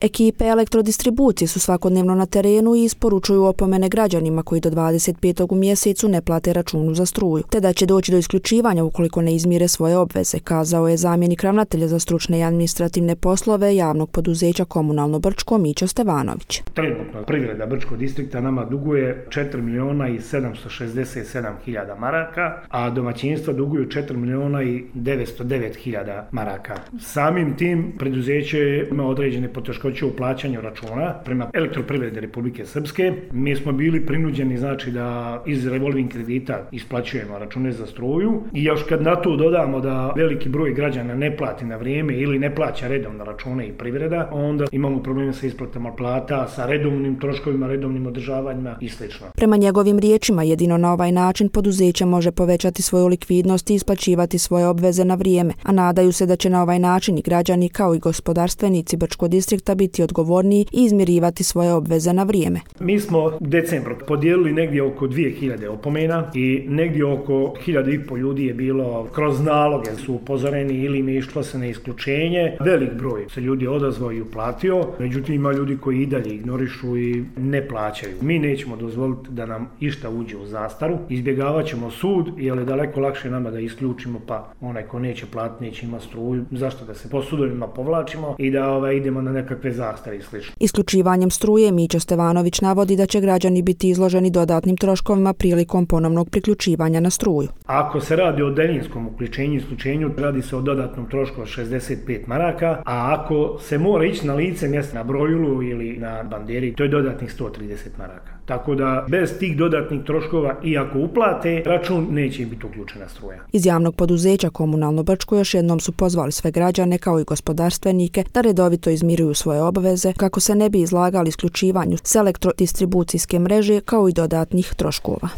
Ekipe elektrodistribucije su svakodnevno na terenu i isporučuju opomene građanima koji do 25. u mjesecu ne plate računu za struju, te da će doći do isključivanja ukoliko ne izmire svoje obveze, kazao je zamjenik ravnatelja za stručne i administrativne poslove javnog poduzeća Komunalno Brčko Mićo Stevanović. Trenutno privreda Brčkog distrikta nama duguje 4.767.000 maraka, a domaćinstva duguju 4.909.000 maraka. Samim tim preduzeće ima određene poteškoće u plaćanju računa prema Elektroprivredi Republike Srpske. Mi smo bili prinuđeni da iz revolving kredita isplaćujemo račune za struju i još kad na to dodamo da veliki broj građana ne plati na vrijeme ili ne plaća redovno račune i privreda, onda imamo probleme sa isplatama plata, sa redovnim troškovima, redovnim održavanjima i sl. Prema njegovim riječima, jedino na ovaj način poduzeće može povećati svoju likvidnost i isplaćivati svoje obveze na vrijeme, a nadaju se da će na ovaj način i građani kao i gospodarstvenici Brčkog distrikta biti odgovorniji i izmirivati svoje obveze na vrijeme. Mi smo u decembru podijelili negdje oko 2000 opomena i negdje oko 1.500 ljudi je bilo kroz naloge su upozoreni ili im je išlo se na isključenje. Velik broj se ljudi odazvao i uplatio, međutim ima ljudi koji i dalje ignorišu i ne plaćaju. Mi nećemo dozvoliti da nam išta uđe u zastaru, izbjegavat ćemo sud jer je daleko lakše nama da isključimo pa onaj ko neće platiti neće imati struju, zašto da se po sudovima povlačimo i da idemo na nekakve zastare i sl. Isključivanjem struje Mićo Stevanović navodi da će građani biti izloženi dodatnim troškovima prilikom ponovnog priključivanja na struju. Ako se radi o daljinskom uključenju i isključenju, radi se o dodatnom trošku od 65 maraka, a ako se mora ići na lice mjesta na brojulu ili na banderi, to je dodatnih 130 maraka. Tako da bez tih dodatnih troškova i ako uplate, račun neće biti uključena struja. Iz javnog poduzeća Komunalno Brčko još jednom su pozvali sve građane kao i gospodarstvenike da redovito izmiruju svoje obveze kako se ne bi izlagali isključivanju s elektrodistribucijske mreže kao i dodatnih troškova.